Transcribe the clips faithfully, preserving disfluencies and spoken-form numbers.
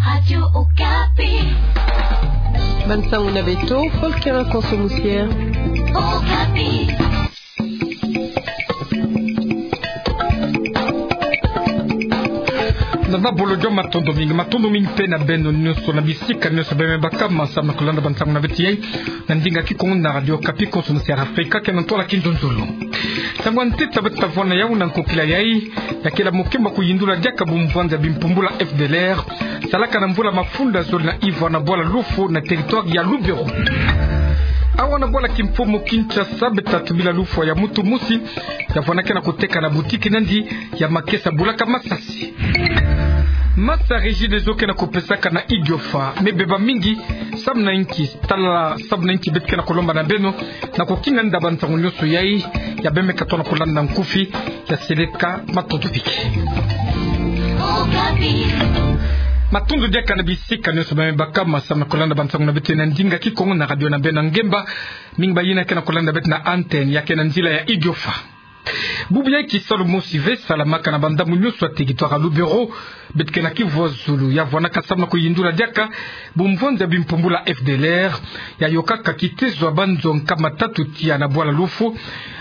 Radio Okapi. Bansango na beto, Volker Konso Musier. Okapi. Na, na bolojo, matondo mingi, matondo mingi mpe na beno nyonso na bisika nyonso beno me baka, samu na kolanda bansango na beto yai na ndinga Kikongo na Radio Okapi, Konso Musier Afrika, kena ntwala kinzonzolo. Nsangu ya ntete beto ta vwanda yau na nkokila yai, ya kele mokemba kuyindula diaka bumvwandi ya bimpumbula F D L R salaka na mvula mafunda zole na ivwa na bwala Luofu na territoire ya Lubero. Awa na bwala kimfumu Kinshasa, beto ta tubila lufwa ya muntu mosi ya vwandaka na koteka na boutique na yandi ya makesa bulaka masasi. Masa Regideso kena kopesaka na Idiofa me beba mingi, samu na inki? Tala samu na inki beto kena kolomba na beno na kokinga nda bansango nyonso yai, ya beno me katuka na kolanda nkufi ya seleka. Matondo pike. Matondo diaka na bisika nyonso beno me baka, samu na kolanda bansango na beto na ndinga Kikongo na radio na beno ya ngemba. Mingi bayina kena kolanda beto na antenne, ya kena nzila ya Idiofa. Bubu yai kisalu mosi ve salamaka na bandambu nyonso ya territoire ya Lubero, beto kena kivwa zulu, ya vwandaka samu na kuyindula diaka bumvwandi ya bimpumbula F D L R, ya yokaka kitezo ya banzo nkama tatu tiya na bwala Luofu,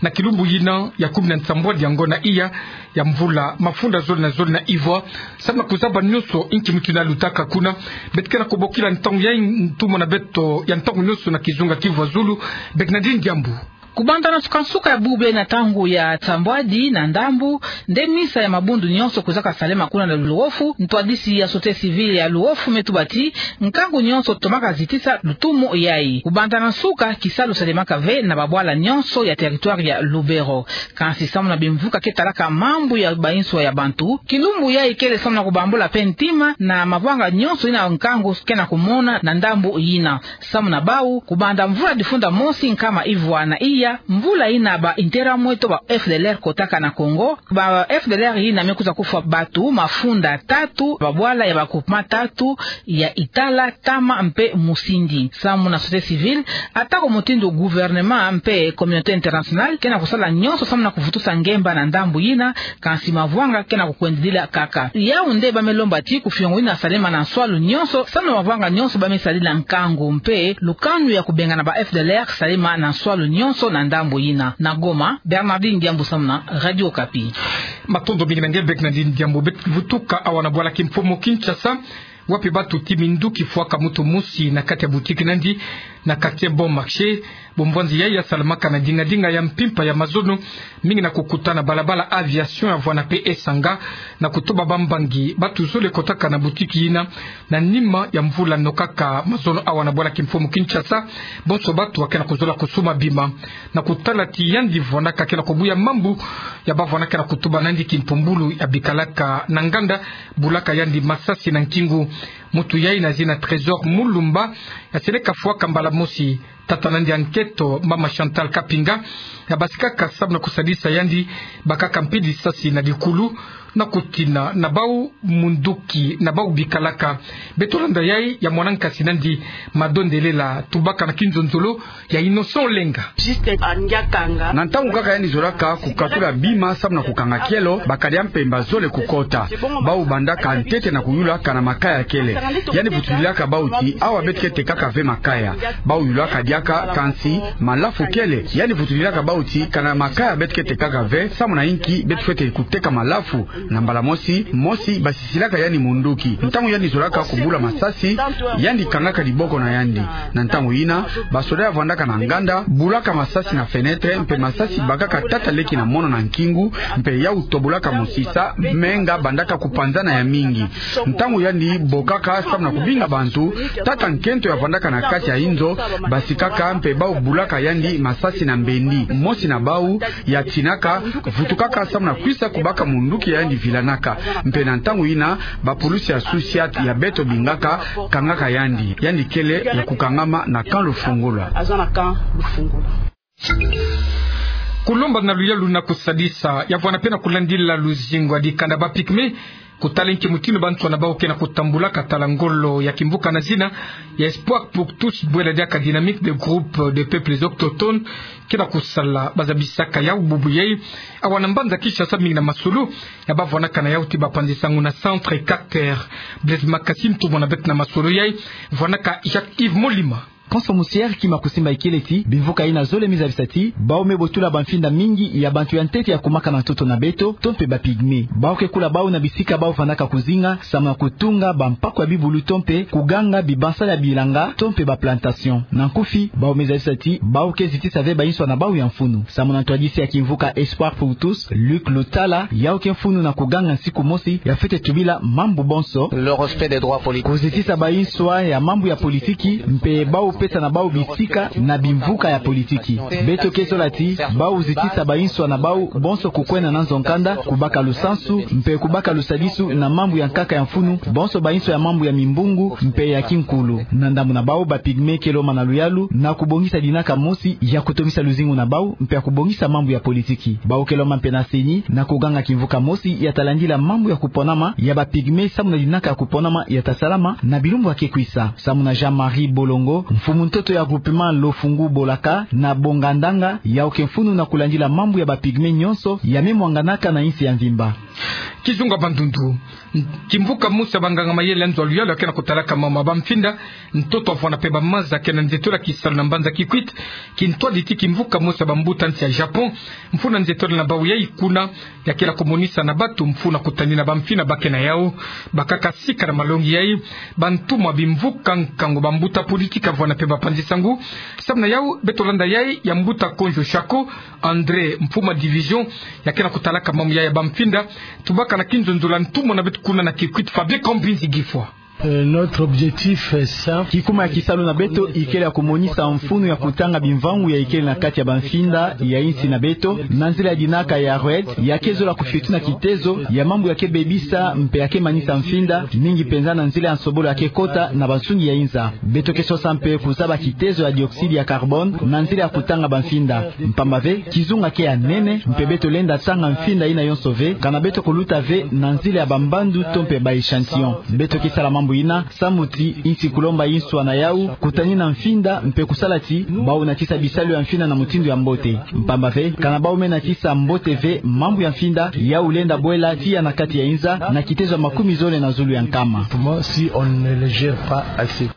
na kilumbu yina ya kumi na nsambwadi ya ngonda iya ya mvula mafunda zole na zole na ivwa, samu na kuzaba nyonso inki muntu yina alutaka kuna. Beto kena kobokila ntangu yai ntumwa na beto ya ntangu nyonso na kizunga kivwa zulu, Bernardine Diambu. Kubanda na nsukansuka ya bubu yai na ntangu ya nsambwadi na ndambu, nde misa ya mabundu nyonso kwizaka salema kuna na Luofu. Ntwadisi ya société civile ya Luofu me tuba ti nkangu nyonso tomaka zitisa lutumu yai. Kubanda na nsuka, kisalu salemaka ve na babwala nyonso ya territoire ya Lubero. Kansi samu na bimvuka ke talaka mambu ya banswa ya bantu, kilumbu yai kele samu na kubambula mpe ntima na mavwanga nyonso yina nkangu kena kumona na ndambu yina. Samu na bau, kubanda mvula difunda mosi nkama ivwa na iya, mvula yina ba Interahamwe to ba F D L R kotaka na Congo, ba F D L R yina me kwiza kufwa bantu mafunda tatu, babwala ya ba groupement tatu, ya Itala, Tama mpe Musindi. Samu na société civile, ata ko mutindu gouvernement mpe communauté internationale kena kusala nyonso samu na kuvutusa ngemba na ndambu yina, kansi mavwanga kena kukwendilila kaka. Yau nde ba me lomba ti kufiongo yina salema na nswalu nyonso, samu na mavwanga nyonso ba me sadila nkangu mpe lukanu ya kubengana ba F D L R salema na nswalu nyonso na ndambu yina. Na Goma, Bernardine Diambu samu na Radio Okapi. Matondo mingi na nge Bernardine Diambu. Beto vutuka awa na bwala kimfumu Kinshasa, wapi beto tuti minduki fwaka muntu mosi na kati ya boutique na yandi na quartier Bon Marché. Bumvwanzi yai ya salamaka na dinga dinga ya mpimpa ya mazono, mingi na kukuta na balabala Aviation ya vwanda mpe esanga, na kutuba bambangi bantu zole kotaka na boutique yina na nima ya mvula nokaka mazono awa na bwala kimfumu Kinshasa. Bonso bantu ba kena kuzola kusuma bima, na kutala ti yandi vwandaka kena kubuya mambu ya ba vwandaka na kutuba na yandi kimpumbulu ya bikalaka na nganda, bulaka yandi masasi na nkingu. Muntu yai na zina Trésor Mulumba, ya seleka fwaka mbala mosi tata na yandi ya nkento, mama Chantal Kapinga, ya basikaka samu na kusadisa yandi, bakaka mpe lisasi na likulu, na kutina na bau munduki na bau bikalaka. Beto landa yai ya mwana nkasi na yandi Mado Ndelela, tubaka na kinzonzolo ya Innocent Olenga. Na ntangu kaka yandi zolaka kukatula bima samu na kukanga kielo, bakadi ya mpemba zole kukota. Bau bandaka ntete na kuyula kana makaya kele. Yandi vutulilaka bau ti awa beto ke tekaka ve makaya. Bau yulaka diaka, kansi malafu kele. Yandi vutulilaka bau ti kana makaya beto ke tekaka ve, samu na inki beto fwete kuteka malafu? Na mbala mosi mosi, basisilaka yandi munduki. Ntangu yandi zolaka kubula masasi, yandi kangaka diboko na yandi. Na ntangu yina, basoda ya vwandaka na nganda bulaka masasi na fenêtre, mpe masasi bakaka tata leki na mono na nkingu, mpe yau tobolaka mosisa, menga bandaka kupanzana ya mingi. Ntangu yandi bokaka samu na kubinga bantu, tata nkento ya vwandaka na kati ya inzo basikaka, mpe bau bulaka yandi masasi na mbendi. Mosi na bau ya tinaka, vutukaka samu na kwisa kubaka munduki ya yandi vilanaka. Mpe na ntangu yina, bapulusi ya SUSIAT ya beto bingaka, kangaka yandi. Yandi kele ya kukangama na camp Lufungula. Kulomba na luyalu na kusadisa, ya vwanda mpe na kulandila luzingu ya dikanda ba pygmées, kutala nki mutindu bansoni na bau ke na kutambulaka tala ngolo ya kimvuka na zina ya Espoir pour tous, bwela diaka dynamique des groupes des peuples autochtones, ke na kusala. Ba zabisaka yau bubu yai awa na mbanza Kinshasa, mingi na masolo ya ba vwandaka na yau ti bapanzi sango na Centre Carter. Blaise Makasi, ntumwa na beto na masolo yai, vwandaka Jacques Yves Molima. Konso musier kima kusimba ikele ti bimvuka ina zole mi zabisa ti bau me botula bamfinda mingi ya bantu ya ntete ya kumaka na ntoto na beto, to mpe ba pygmées. Bau ke kula bau na bisika bau vandaka kuzinga, samu na kutunga bampaku ya bibulu, to mpe kuganga bibansala ya bilanga, to mpe ba plantations. Na nkufi, bau me zabisa ti bau ke zitisa ve bainsoni na bau ya mfunu. Samu na ntwadisi ya kimvuka Espoir pour tous, Luc Lutala, yau ke mfunu na kuganga nsiku mosi ya fwete tubila mambu bonso. Le respect des droits politiques. Kuzitisa bainsoni ya mambu ya politiki, mpe bau pesa na bau bisika na bimvuka ya politiki. Beto ke zola ti bau zitisa bainsoni na bau bonso kukwenda na nzo nkanda, kubaka lusansu, mpe kubaka lusadisu na mambu ya nkaka ya mfunu, bonso bainsoni ya mambu ya mimbungu, mpe ya kinkulu. Na ndambu na bau, ba pygmées ke lomba na luyalu na kubongisa dinaka mosi ya kutongisa luzingu na bau, mpe ya kubongisa mambu ya politiki. Bau ke lomba mpe na CENI na kuganga kimvuka mosi ya talandila mambu ya kuponama ya ba pygmées, samu na dinaka ya kuponama ya ta salama na bilumbu ya ke kwisa. Samu na Jean-Marie Bolongo, mfumu ntoto ya groupement Lofungu Bolaka na Bongandanga, yau ke mfunu na kulandila mambu ya ba pygmées nyonso ya me mwanganaka na insi ya mvimba. Kizunga Bandundu. Kimvuka mosi ya banganga mayele ya nzo ya luyalu ya ke na kutalaka mambu ya bamfinda, ntoto avwanda mpe bamaza, ke na nzietolo ya kisalu na mbanza Kikwit, kintwadi ti kimvuka mosi ya bambuta nsi ya Japon, mfunu na nzietolo na bau yai kuna, ya ke na kumonisa na batu mfunu na kutanina bamfinda ba ke na yau. Bakaka sika na malongi yai bantumwa bimvuka nkangu, bambuta politiki, avwanda mpe bapanzi sango. Samu na yau, beto landa yai ya mbuta Konjo Shako, André, mfumu ya division ya ke na kutalaka mambu yai ya bamfinda. Tubaka na kinzonzolo ya ntumwa na beto kuna na Kikwit, Fabien Kambinzi Gifwa. Euh, notre objectif, euh, c'est... Kikuma ya kisalu na beto ikele ya kumonisa mfunu ya kutanga bimvangu ya ikele na kati ya bamfinda ya insi na beto, na nzila ya dinaka ya REDD, ya ke zola kufiotuna kitezo ya mambu ya ke bebisa mpe ya ke manisa mfinda, mingi mpenza na nzila ya nsobolo ya ke kota na bansungi ya inza. Beto ke sosa mpe kuzaba kitezo ya dioxyde ya carbone na nzila ya kutanga bamfinda. Mpamba ve, kizunga ke ya nene, mpe beto lenda tanga mfinda ina yonso ve, kana beto kuluta ve na nzila ya bambandu to mpe ba échantillon. Beto ke sala mambu ina, samu ti insi kulomba inswa na yau, kutanina mfinda, mpe kusala ti bau natisa bisalu ya mfinda na mutindu ya mbote. Mpamba ve, kana bau me natisa mbote ve mambu ya mfinda, yau lenda bwela tiya na kati ya inza na kitezo ya makumi zole na zulu ya nkama. Si on ne le gère pas assez.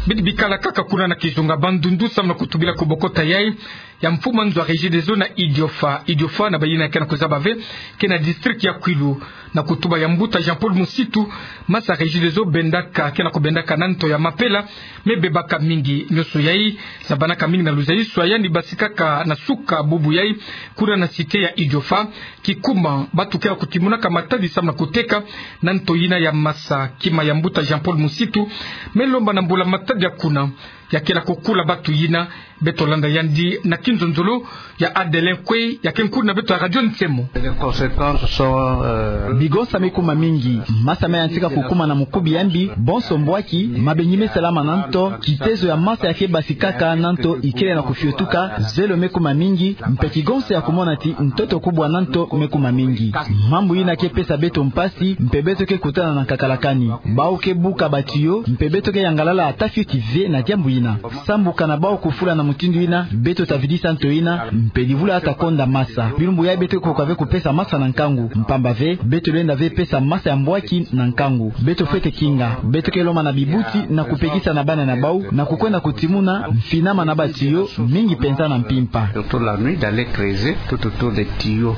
Bidi bikala kaka kuna na kizunga Bandundu, samu na kutubila kubokota yai ya mfumu ya nzo ya Regideso na Idiofa. Idiofa, na bayina ke na kuzaba ve, ke na district ya Kwilu, na kutuba ya mbuta Jean-Paul Musitu, masa Regideso bendaka, ke na kubendaka na nto ya mapela, me bebaka mingi. Nyonso yai zabanaka mingi na luzayiswa yandi basikaka na suka bubu yai, kuna na cité ya Idiofa. Kikuma, batu ke na kutimunaka matadi samu na kuteka na nto yina ya masa. Kima ya mbuta Jean-Paul Musitu me lomba na mbula-matadi ya kuna, ya ke na kukula batu yina. Beto landa yandi na kinzonzolo ya Adelin Kwe, ya ke nkulu na beto ya Radio Nsemo. Les conséquences sont, euh... Bigonsa me kuma mingi. Masa me yantika kukuma na mukubi ya mbi, bonso mbwaki, mabengi me salama na nto, kitezo ya masa ya ke basikaka na nto ikele na kufiotuka, zelo me kuma mingi, mpe kigonsa ya kumona ti ntoto kubwa na nto me kuma mingi. Mambu yina ke pesa beto mpasi, mpe beto ke kutana na nkakalakani. Bau ke buka ba tuyau, mpe beto ke yangalala ata fioti ve na diambu yina. Sambu kana bau kufula na mutindu yina, beto ta vidisa nto yina, mpe livula ta konda masa. Bilumbu yai beto ke koka ve kupesa masa na nkangu, mpamba ve, beto lenda ve pesa masa ya mbwaki na nkangu. Beto fwete kinga, beto ke lomba na bibuti na kupekisa na bana na bau, na kukwenda kutimuna mfinama na ba tuyau, mingi mpenza na mpimpa. Surtout la nuit, d'aller creuser tout autour des tuyaux.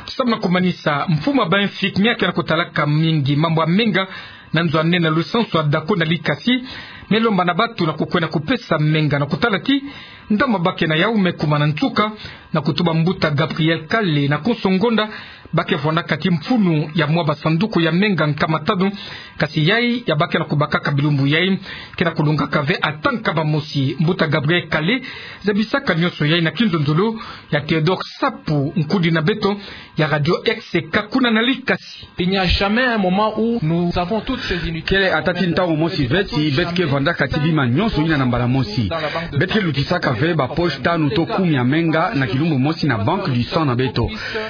Samu na kumanisa, mfumu ya ba infirmier ke na kutalaka mingi mambu ya menga na nzo ya nene na lusansu ya Dako na Likasi, me lomba na batu na kukwenda kupesa menga na kutala ti ndambu ba ke na yau me kuma na nsuka, na kutuba mbuta Gabriel Kale na konso ngonda, ba ke vwandaka ti mfunu ya mwa ba sanduku ya menga nkama tanu. Kasi yai ya ba ke na kubakaka bilumbu yai ke na kulongaka ve ata nkama mosi. Mbuta Gabriel Kale zabisaka nyonso yai na kinzonzolo ya Théodore Sapu, nkudi na beto ya Radio R C K kuna na Likasi. Il n'y a jamais un moment où nous avons toutes ces unités. Kele ata ti ntangu mosi ve ti beto ke Landaka ti bima nyonso ina na mbala mosi. Beto ke lutisaka ve ba poche tanu to kumi ya menga na kilumbu mosi na banque du sang na beto.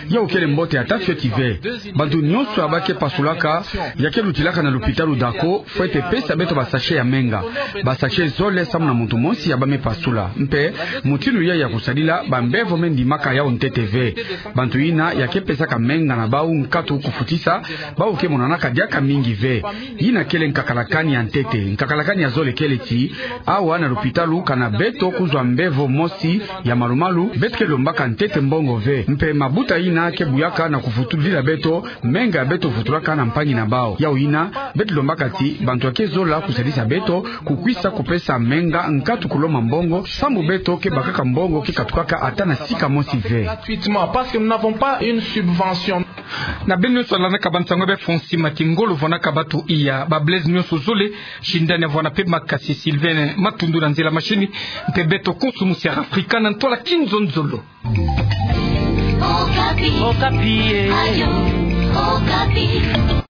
Yau kele mbote ata fioti ve. Bantu nyonso ya bake pasulaka, ya ke lutilaka na lupitalu Dako, fwete pesa beto ba sachet ya menga. Ba sachet zole samu na muntu mosi ya bame pasula. Mpe mutindu ya ya kusadila, ba mbevo me ndimaka yau ntete ve. Bantu ina ya ke pesaka menga na bau nkatu kufutisa, bau ke monanaka diaka mingi ve. Ina kele nkakalakani ya ntete. Nkakalakani ya zole kele ti, awa na lupitalu kana beto kuzwa mbevo mosi ya malu-malu, beto ke lombaka ntete mbongo ve. Mpe mabuta ina ke buyaka na kuvutudila beto menga ya beto vutulaka na mpangi na bau. Yau ina, beto lombaka ti bantu ya ke zola kusadisa beto, kukwisa kupesa menga nkatu kulomba mbongo, samu beto ke bakaka mbongo ke katukaka ata na sika mosi ve. Gratuitement, parce que nous n'avons pas une subvention. Na beno nyonso landaka bansango ya be Fonsi Mati, ngolo vwanaka batu iya, ba Blaise nyonso zole, sindani ya vwana pe makasi Sylvain Matundu na nzila machine, mpe beto konso musi ya Afrika na ntwala kinzonzolo. Okapi. Okapi, eh. Ayo, Okapi.